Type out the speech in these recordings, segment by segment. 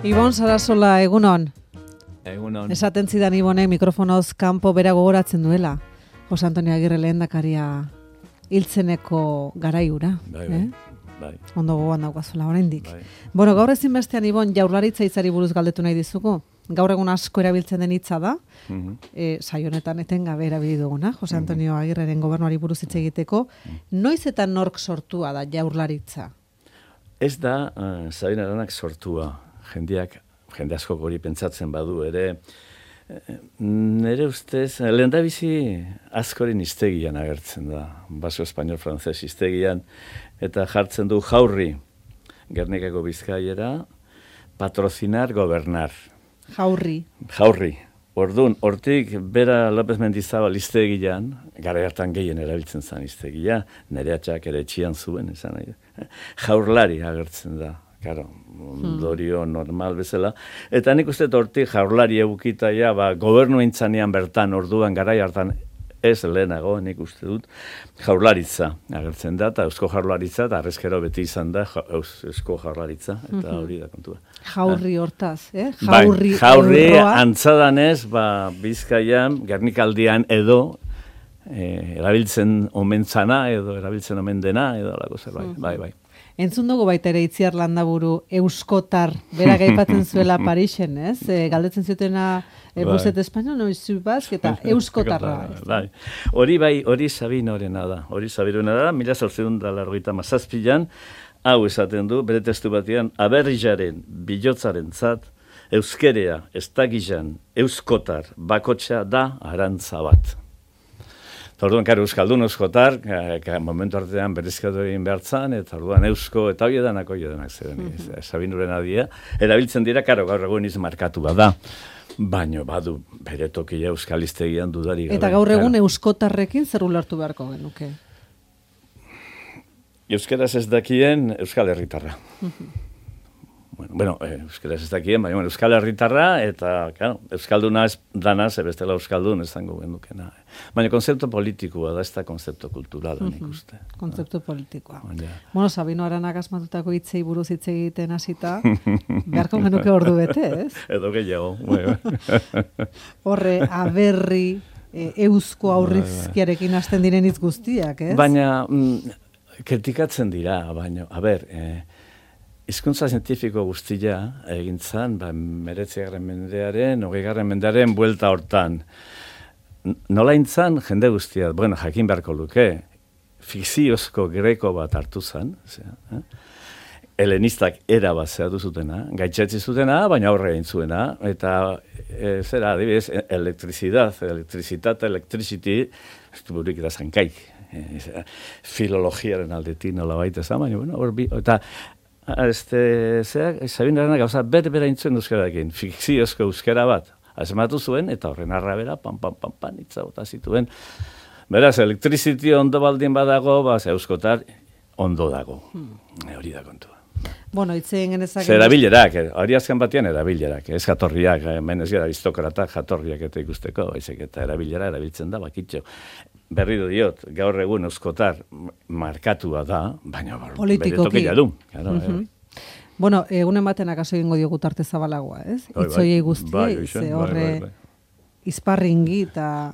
Ibon Sarasola, egunon. Egunon. Esaten zidan Ibonek mikrofonoz kanpo bera gogoratzen duela. Jose Antonio Agirre lehendakaria hiltzeneko garaiura. Bai. Ondo gogoan daukazuela oraindik. Bai. Bueno, gaur ezinbestean Ibon Jaurlaritza hitzari buruz galdetu nahi dizugu. Gaur egun asko erabiltzen den hitza da. Saio honetan etengabe erabili duguna, Jose Antonio Agirreren gobernuari buruz hitz egiteko. Noiz eta nork sortua da Jaurlaritza? Ez da Sabin Aranak sortua. Jende askok hori pentsatzen badu ere, nire ustez, lehendabizi askoren hiztegian agertzen da, baso espainol-frantzes hiztegian, eta jartzen du jaurri, Gernikako Bizkaiera, patrocinar, gobernar. Jaurri. Orduan, hortik bera López Mendizabal hiztegian, gara hartan gehien erabiltzen zen hiztegia, nire atxak ere etxian zuen, esan nahi. Jaurlari agertzen da. Claro, ondorio normal bezala. Eta nik uste hortik jaurlari egukita gobernu intzanean bertan orduan garai hartan ez lehenago, nik uste dut, jaurlaritza agertzen da, eta eusko jaurlaritza, eta arrezkero beti izan da eusko jaurlaritza, eta hori da kontua. Jaurri hortaz, Jaurri antzadanez, Bizkaian, Gernikaldian edo, erabiltzen omen zana, edo erabiltzen omen dena, edo alako zerbait, bai. Entzun dugu baita ere Itziar Landaburu euskotar, berak aipatzen zuela Parisen, ez? Galdetzen zutena Buset Espainol, noiz zubazk, eta euskotarra. Bai. Hori Sabinorena da. Hori Sabinorena da, 1897an, hau esaten du, bere testu batean, aberrijaren, bilotzaren zat, euskerea, estakizan, euskotar, bakotxa da arantza bat. Orduan, euskaldun euskotar, momentu artean berrizkatu egin behartzan, eta orduan eusko, eta hori edanak ziren, Sabinuren adia, erabiltzen dira, gaur egun izmarkatu bada, baino badu bere tokia euskal hiztegian dudari gabe. Eta gaur egun euskotarrekin zer ulertu beharko genuke? Euskaraz ez dakien euskal herritarra. Bueno, euskaraz ez dakien, baina euskal herritarra, eta, euskalduna ez dana, bestela euskaldun ez zango gendukena. Baina konzeptu politikoa da, ez da konzeptu kulturala, nik uste. Konzeptu politikoa. Bueno, Sabino Aranak asmatutako hitzei buruz hitz egiten hasita, beharko genuke ordu bete, ez? Edo gehiago. Horre, aberri, eusko aurrizkiarekin hasten diren hitz guztiak, ez? Baina, kritikatzen dira, baina, hizkuntza zientifiko guztia egin zan, 19. mendearen, 20. mendearen buelta hortan. Nola intzan jende guztia, jakin beharko luke, fikziozko greko bat hartu zan, helenistak era bat zehatu zutena, gaitzetzi zutena, baina aurre egin zuena, eta adibidez, electricity, ez du burik da zankaik, filologiaren aldetik nola baita zan, baina, eta Sabin Aranak gauza berbera intzuen euskararekin, fikziozko euskara bat, azematu zuen, eta horren arrabera, pan, itza bota zituen. Beraz, electricity ondo baldin badago, euskotar ondo dago. Hori da kontua. Bueno, itzen genezak... Erabilerak, hori azken batean erabilerak, ez jatorriak, hemen ez gara aristokratak jatorriak eta ikusteko, eta erabilera erabiltzen da, bakitxo. Berri diot, gaur egun euskotar markatua da, baina bere tokia du. Bueno, egunen baten akaso egingo diogu tarte zabalagoa, ez? Itzoiei guztiei, ze horre izparringi eta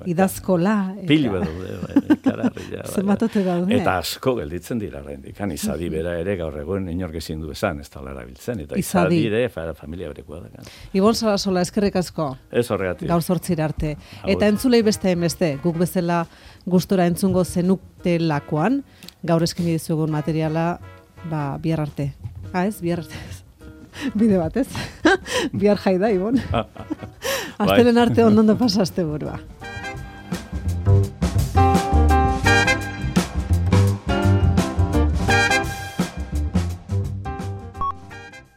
idazkola. Pilu edo, kararria. Zenbatote daude. Eta asko gelditzen dira rendik. Izadi bera ere gaur egun inork ezin du esan, ez talara biltzen. Eta izadi ere familia berekoa da. Ibon Sarasola, eskerrik asko. Ez horregatik. Gaur 8 arte. Eta entzulei beste, guk bezala gustora entzungo zenutelakoan, gaur eskeni dizugun materiala, bihar arte. Ez, bihar arte. Bide bat, ez? Bihar jai da, Ibon. Aztelen arte ondo pasaste burua.